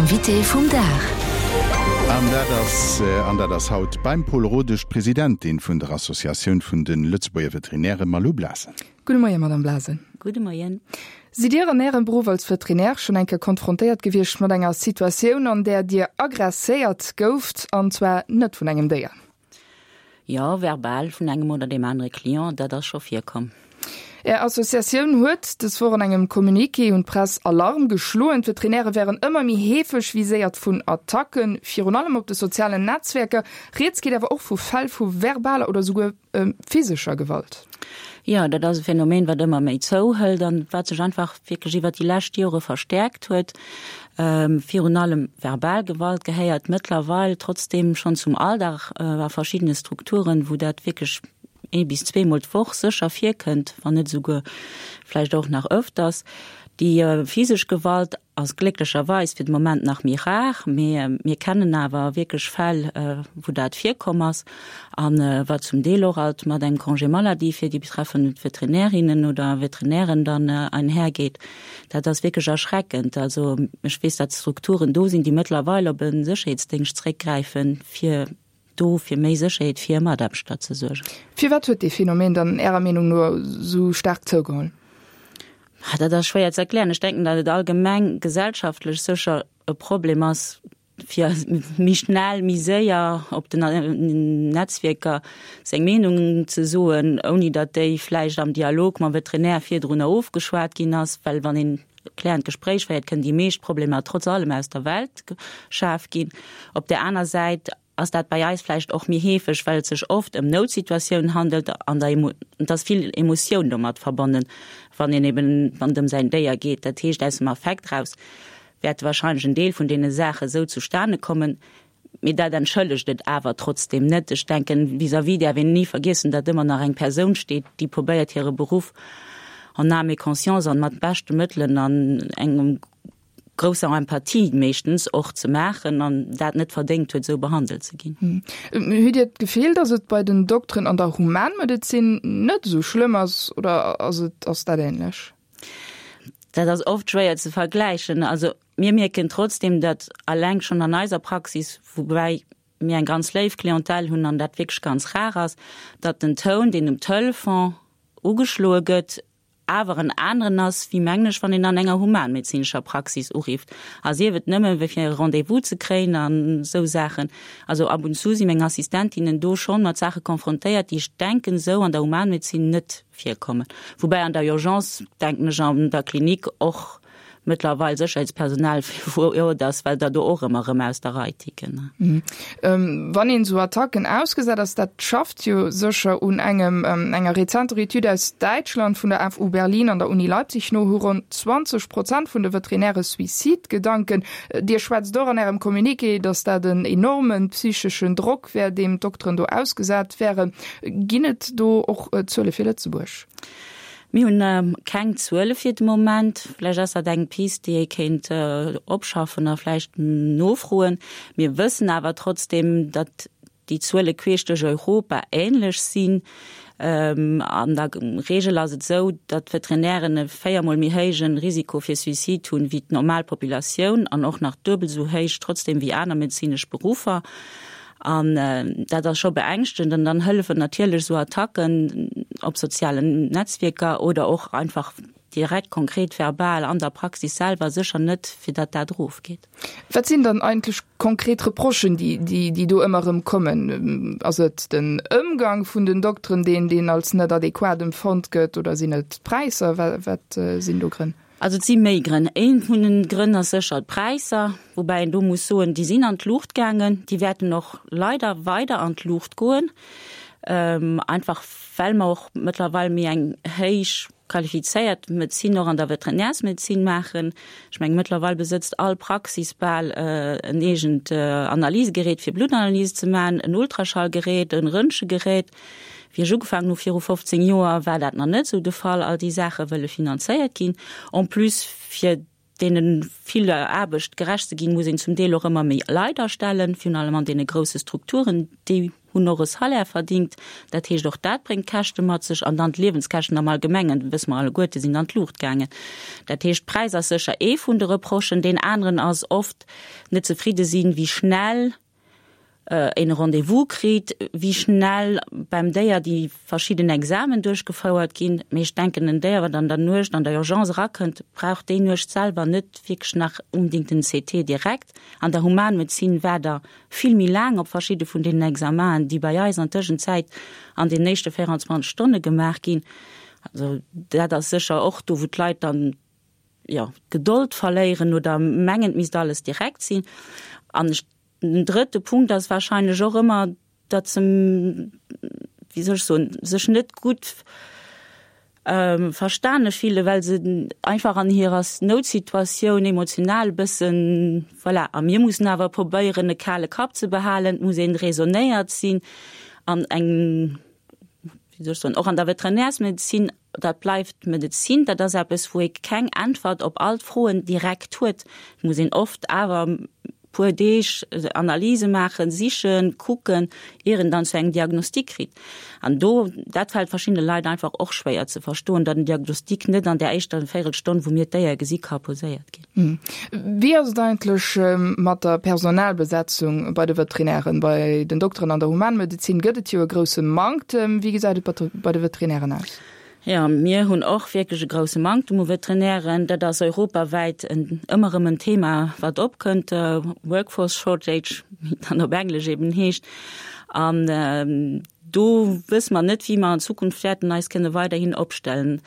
Invité vum Dag. An dat ass, an dat ass haut beim Paul Rodesch, d'Presidentin vun der Associatioun vun de Lëtzebuerger Veterinären, Malou Blasen. Gudde Moien, Madame Blasen. Gudde Moien. Sidd Dir an Ärem Beruff als Veterinär schonn eng Kéier konfrontéiert gewiescht mat enger Situatioun, an där Dir aggresséiert gouft, an zwar net vun engem Déier? Jo, verbal vun engem oder deem anere Client, dat ass scho virkomm. Är Associatioun huet dës Woch an engem Communiqué un d'Press Alarm geschloen. D'Veterinäre wären ëmmer méi heefeg viséiert vun Attacken, virun allem op de sozialen Netzwerker. Rieds geet awer och vu Fäll vu verbaler oder souguer physescher Gewalt. Jo, dat ass e Phänomen, wat ëmmer méi zouhëlt an wat sech einfach wierklech iwwert déi lescht Jore verstäerkt huet. Virun allem verbal Gewalt gehéiert mëttlerweil trotzdeem schonn zum Alldag a verschiddene Strukturen, wou dat wierklech ee bis zweemol d'Woch sécher virkënnt, wann net esouguer vläicht och nach ëfters. Déi physesch Gewalt ass glécklecherweis fir de Moment nach méi rar, mee mir kennen awer wierklech Fäll, wou dat virkomm ass a wat zum Deel och alt mat engem Congé maladie fir déi betreffend Veterinärinnen oder Veterinären dann einhergeet. Dat ass wierklech erschreckend. Also ech weess, datt Strukturen do sinn, déi mëttlerweil op e Sécherheetsdéngscht zréckgräifen, fir do fir méi Sécherheet fir hir Mataarbechter ze suergen. Firwat huet dee Phänomen dann Ärer Meenung no esou staark zougeholl? Dat ass schwéier ze erklären. Ech denken, datt et allgemeng gesellschaftlech sécher e Problem ass, fir méi schnell, méi séier op den Netzwierker seng Meenung ze soen, ouni datt déi vläicht am Dialog mam Veterinär virdrunner ofgeschwat ginn ass. Well wann een e klärend Gespréich féiert, kënnen déi meescht Problemer trotz allem aus der Welt geschaf ginn. Op där aner Säit ass dat bei eis vläicht och méi heefeg, well et sech oft ëm Noutsituatiounen handelt an der et ass vill Emotioun domat verbonnen, wann een eben, wann et ëm säin Déier geet. Dat heescht, aus dem Affekt raus wäerte wahrscheinlech en Deel vun deene Saache sou zustane kommen, mee dat entschëllegt et awer trotzdeem net. Ech denken, vis-à-vis däerf een ni vergiessen, datt ëmmer nach eng Persoun steet, déi probéiert hire Beruff en âme et conscience an mat beschte Mëttelen an engem grousser Empathie meeschtens och ze maachen an dat net verdéngt huet, esou behandelt ze ginn. Hutt Dir d'Gefill, datt et bei den Dokteren an der Humanmedezin net esou schlëmm ass oder ass et ass dat änlech? Dat ass oft schwéier ze vergläichen. Also mir mierken trotzdem, datt alleng schonn an eiser Praxis, woubäi mir eng ganz léif Clientèle hunn an dat wierklech ganz rar ass, datt den Toun, deen um Telefon ugeschloe gëtt, awer en aneren ass, wéi mengen ech, wann een an enger humanmedezinescher Praxis urifft. A sief et nëmme wéi fir e Rendez-vous ze kréien an esou Saachen. Also ab und zu si meng Assistentinnen do schonn mat Saache konfrontéiert, déi ech denken esou an der Humanmedezin net virkommen. Woubäi an der Urgence, denken ech, an der Klinik och mëttlerweil Sécherheetspersonal vor Ort ass, well der do och ëmmer erëm aus der Rei ticken. Wann een esou Attacken ausgesat ass, dat schafft jo sécher un engem. Enger rezenter Etüd aus Däitschland vun der FU Berlin an der Uni Leipzig no hu ronn 20 Prozent vun de Veterinäre Suizidgedanken. Dir schwätzt och an Ärem Communiqué, datt dat en enorme psycheschen Drock wär, deem d'Dokteren do ausgesat wären. Ginn et do och Zuele fir Lëtzebuerg? Mir hunn keng Zuele fir de Moment. Vläicht ass dat eng Pist, déi ee kéint opschaffen a vläicht nofroen. Mir wëssen awer trotzdeem, datt déi Zuele queesch duerch Europa änlech sinn. An der Reegel ass et esou, datt d'Veterinären e véiermol méi héije Risiko fir Suicide hunn, wéi d'normal Populatioun an och nach duebel esou héich trotzdeem wéi aner medezinesch Beruffer. An dat ass scho beängschtend. An dann hëllefen natierlech esou Attacken op sozialen Netzwierker oder och einfach direkt konkret verbal an der Praxis selwer sécher net, fir datt dat erofgeet. Wat sinn dann eigentlech konkret Reprochen, déi, déi do ëmmer erëm kommen? Ass et den Ëmgang vun den Dokteren, deen, deen als net adequat empfonnt gëtt, oder sinn et d'Präisser? Wat sinn do Grënn? Also et si méi Grënn. Ee vun den Grënn ass sécher d'Präisser, woubäi een do muss soen, déi sinn an d'Luucht gaangen, déi wäerten och leider weider an d'Luucht goen, einfach well mer och mëttlerweil méi eng héich qualifizéiert Medezin och an der Veterinärsmedezin maachen. Ech mengen, mëttlerweil besëtzt all Praxis bal en eegent Analysegerät fir Bluttanalyse ze maachen, en Ultraschallgerät, e Röntgengerät. Wéi ech ugefaangen hu viru 15 Joer, war dat nach net esou de Fall. All déi Saache wëlle finanzéiert ginn. En plus, fir deene viller Aarbecht gerecht ze ginn, muss een zum Deel och ëmmer méi Leit astellen, virun allem an deene grousse Strukturen, déi. hunn och e Salaire verdingt. Dat heescht, och dat bréngt Käschte mat sech. An dann d'Liewenskäschten am Allgemengen, wësse mer alleguerte, sinn an d'Luucht gaangen. Dat heescht, Präis ass sécher ee vun de Reprochen. Deen aneren ass oft net zefridde sinn, wéi schnell een e Rendez-vous kritt, wéi schnell beim Déier déi verschidden Examen duerchgefouert ginn. Mee ech denken, en Déier, wat an der Nuecht an der Urgence erakënnt, brauch déi Nuecht selwer net wierklech nach unbedingt en CT direkt. An der Humanmedezin war der vill méi laang op verschidde vun deenen Examaen, déi bei eis an Tëschenzäit an den éischte 24 Stonne gemaach ginn. Also dat ass sécher och do, wou d'Leit dann, jo, d'Gedold verléieren oder mengen, et misst alles direkt sinn. An ech, den drëtte Punkt ass wahrscheinlech och ëmmer, datt se, wéi soll ech soen, sech net gutt verstane fillen, well se einfach an hirer Noutsituatioun emotional e bëssen, voilà. A mir mussen awer probéieren, e kale Kapp ze behalen, et muss een raisonnéiert sinn an eng, wéi soll ech soen, och an der Veterinärsmedezin, Dat bleift d'Medezin, dat ass eppes, wou ee keng Äntwert op all d'Froen direkt huet. Et muss een oft awer e puer Deeg Analyse maachen, sichen, kucken, ier een dann zu engem Diagnostic kritt. An do, dat fält verschiddene Leit einfach och schwéier ze verstoen, datt en Diagnostic net an där éischter Véirelstonn, wou mir d'Déier gesi ka poséiert ginn. Wéi ass et eigentlech mat der Personalbesetzung bei de Veterinären? Bei den Dokteren an der Humanmedezin gëtt et jo e grousse Manktem. Wéi gesäit et bei de Veterinären aus? Jo, mir hunn och wierklech e grousse Manktem u Veterinären. Dat ass europawäit ëmmer erëm en Thema, wat opkënnt, Workforce shortage, wéi et dann op Englesch eben heescht. An do wësse mer net, wéi mer an Zukunft wäerten eis kënne weiderhin opstellen.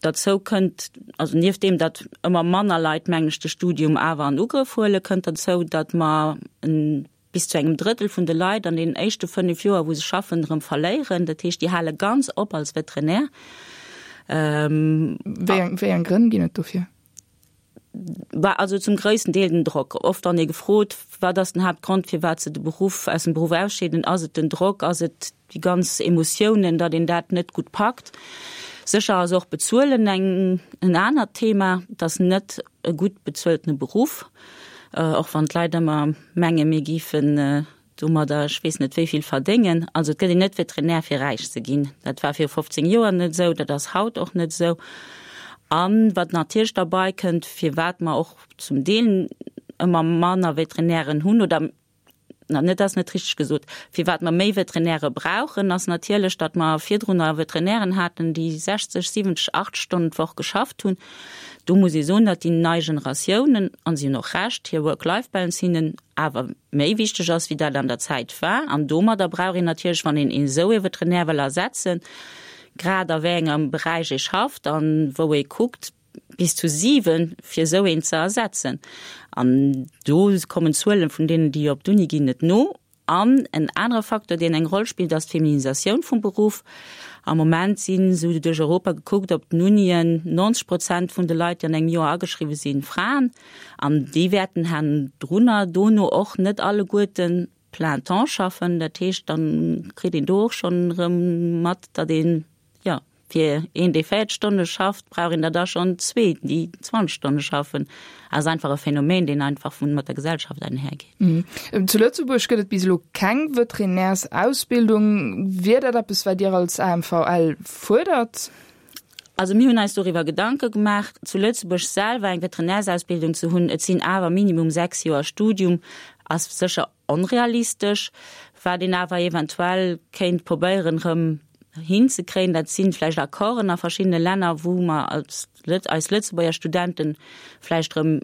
Derzou kënnt, also nieft deem, datt ëmmer manner Leit, mengen ech, de Studium awer an Ugrëff huelen, kënnt derzou, datt mer en bis zu engem Drëttel vun de Leit an deenen éischte 5 Joer, wou se schaffen, erëm verléieren. Dat heescht, déi hale ganz op als Veterinär. Wéi eng, wéi eng Grënn ginn et dofir? Bah, also zum gréissten Deel den Drock. Oft wann ee gefrot, wat ass den Haaptgrond, firwat se de Beruff, aus dem Beruff ausscheeden, ass et den Drock, ass et déi ganz Emotiounen, datt een dat net gutt packt. Sécher ass och Bezuelen eng, en anert Thema. Et ass net e gutt bezueltene Beruff, och wann d'Leit ëmmer menge mir géifen domadder ech weess net wéi vill verdéngen. Also et gëtt een net Veterinär fir räich ze ginn. Dat war viru 15 Joer net esou, dat ass haut och net esou. A wat natierlech derbei kënnt, firwat mer och zum Deel ëmmer manner Veterinären hunn oder na, net ass net richteg gesot. Firwat mer méi Veterinäre brauchen, ass natierlech, datt mer virdrunner Veterinären haten, déi 60, 70, 80 Stonnen d'Woch geschafft hunn. Do muss ee soen, datt déi nei Generatiounen, an si hunn och Recht, hir Work-Life-Balance hinnen awer méi wichteg ass, wéi dat an der Zäit war. An domadder brauch een natierlech, wann een esou ee Veterinär wëll ersetzen, grad a wéi engem Beräich ee schafft an wou ee kuckt, bis zu 7 fir esou een ze ersetzen. An do kommen d'Zuelen vun deenen, déi op d'Uni ginn, net no. An en anere Facteur, deen eng Roll spillt, ass d'Feminisatioun vum Beruff. Am Moment sinn, esou duerch Europa gekuckt, op den Unien 90 Prozent vun de Leit, déi an engem Joer ageschriwwen sinn, Fraen. An déi wäerten hannendrunner dono och net alleguerten plein temps schaffen. Dat heescht, da kritt een do och schonn erëm mat, datt een, jo, Fir een, dee 40 Stonne schafft, brauch een der da schonn zwee, déi 20 Stonne schaffen. Ass einfach e Phänomen, deen einfach vun mat der Gesellschaft einhergeet. Zu Lëtzebuerg gëtt et bis elo keng Veterinärsausbildung. Wier dat eppes, wat Dir als AMVL fuerdert? Also mir hunn eis doriwwer Gedanke gemaach, zu Lëtzebuerg selwer eng Veterinärsausbildung ze hunn. Et sinn awer minimum 6 Joer Studium, ass sécher Onrealistesch. Wat een awer eventuell kéint probéieren erëm hinzekréien, dat si vläicht Accorden a verschiddene Länner, wou mer als eis Lëtzebuerger Studenten vläicht erëm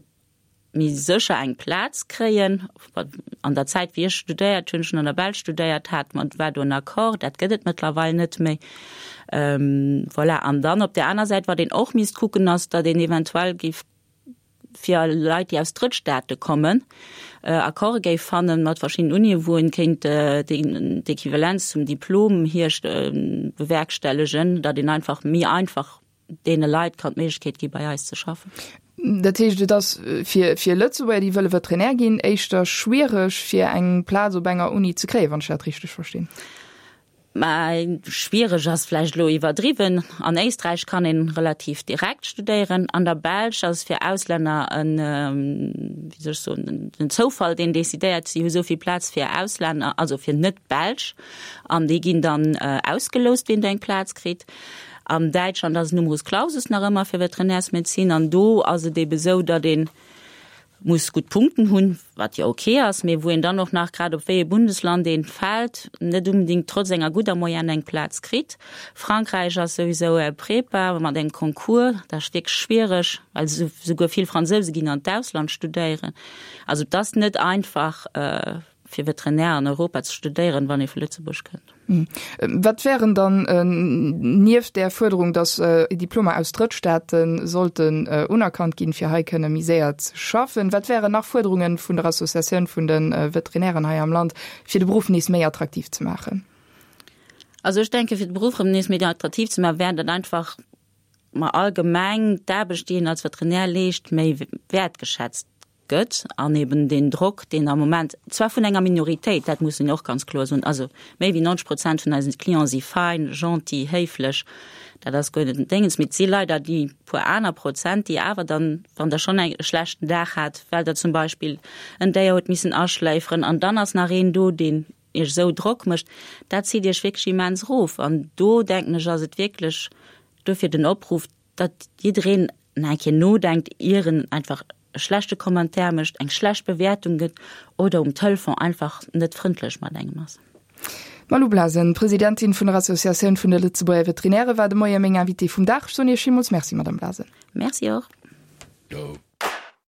méi sécher eng Plaz kréien. An der Zäit, wéi ech studéiert hunn, ech hunn an der Belsch studéiert, hat mer, war do en Accord, dat gëtt et mëttlerweil net méi. Voilà. An dann op där aner Säit, wat een och misst kucken, ass, datt een eventuell géif fir Leit, déi aus Drëttstaate kommen, Accorde géif fanne mat verschiddenen Unien, wou een kéint d'Equivalenz zum Diplom hierst bewerkstellegen, datt een einfach méi einfach deene Leit kann d'Méiglechkeet gi bei eis ze schaffen. Dat heescht, et ass fir fir Lëtzebuerger, déi wëlle Veterinär ginn, éischter schwiereg fir eng Plaz op enger Uni ze kréien, wann ech dat richteg verstinn? Mä schwiereg ass vläicht elo iwwerdriwwen. An Éisträich kann een relativ direkt studéieren. An der Belsch ass fir Auslänner en, wéi soll ech soen, den Zoufall, deen decidéiert. Si hu sou vill Plaz fir Auslänner, also fir Net-Belsch, an déi ginn dann ausgeloust, wien do eng Plaz kritt. An Däitschland ass et Numerus Clausus nach ëmmer fir Veterinärsmedezin an do ass et ebe sou, datt ee muss gutt Punkten hunn, wat jo ok ass, mee wou een dann och nach, grad op wéi ee Bundesland een fält, net unbedingt trotz enger gudder Moyenne eng Plaz kritt. Frankräich ass souwisou e Prépa mat engem Concours, dat ass wierklech schwiereg, well souguer vill Fransouse ginn an d'Ausland studéieren. Also et ass net einfach fir Veterinär an Europa ze studéieren, wann ee vu Lëtzebuerg kënnt. Wat wären dann nieft där Fuerderung, datt Diplomer aus Drëttstaate sollten unerkannt ginn, fir hei kënne méi séier ze schaffen, wat wären nach Fuerderunge vun der Associatioun vun de Veterinären hei am Land, fir de Beruff nees méi attraktiv ze maachen? Also ech denke fir de Beruff erëm nees méi attraktiv ze maachen, wär dat einfach, ma allgemeng d'Aarbecht, déi een als Veterinär leescht, méi wäertgeschätzt gëtt an eben deen Drock, deen am Moment zwar vun enger Minoritéit, dat muss een och ganz kloer soen, also méi wéi 90 Prozent vun eisen Clienten si fein, gentil, héiflech, dat ass guer net den Déngens, mee et si leider déi puer aner Prozent, déi awer dann, wann Der schonn e schlechten Dag hat, well Der zum Beispill en Déier hutt missen aschléiferen an dann ass nach een do, deen Iech esou Drock mécht, dat zitt Iech wierklech immens erof. An do, denken ech, ass et wierklech dofir den Opruff, datt jiddereen nach eng Kéier nodenkt, ier en einfach e schlechte Commentaire mécht, eng schlecht Bewäertung gëtt oder um Telefon einfach net frëndlech mat engem ass. D'Malou Blasen, Presidentin vun der Associatioun vun de Lëtzebuerger Veterinäre war de Moie meng Invitée vum Dag. Ech soen Iech villmools Merci, Madame Blasen. Merci och.